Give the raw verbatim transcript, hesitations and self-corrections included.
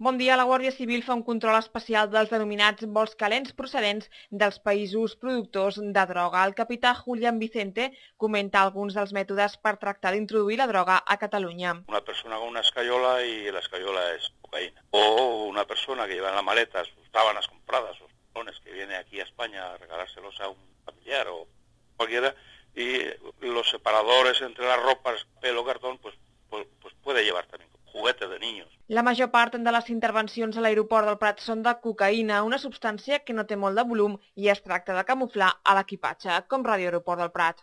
Bon dia. La Guàrdia Civil fa un control especial dels denominats vols calents procedents dels països productors de droga. El capità Julián Vicente comenta alguns dels mètodes per tractar d'introduir la droga a Catalunya. Una persona con una escayola y la escayola es cocaína. O una persona que lleva en la maleta sus sábanas compradas, sus pantalones que viene aquí a España a regalárselos a un familiar o cualquiera, y los separadores entre las ropas, pelo, cartón, pues, pues, pues puede llevar también juguetes de niños. La major part de les intervencions a l'aeroport del Prat són de cocaïna, una substància que no té molt de volum i es tracta de camuflar a l'equipatge, com Ràdio Aeroport del Prat.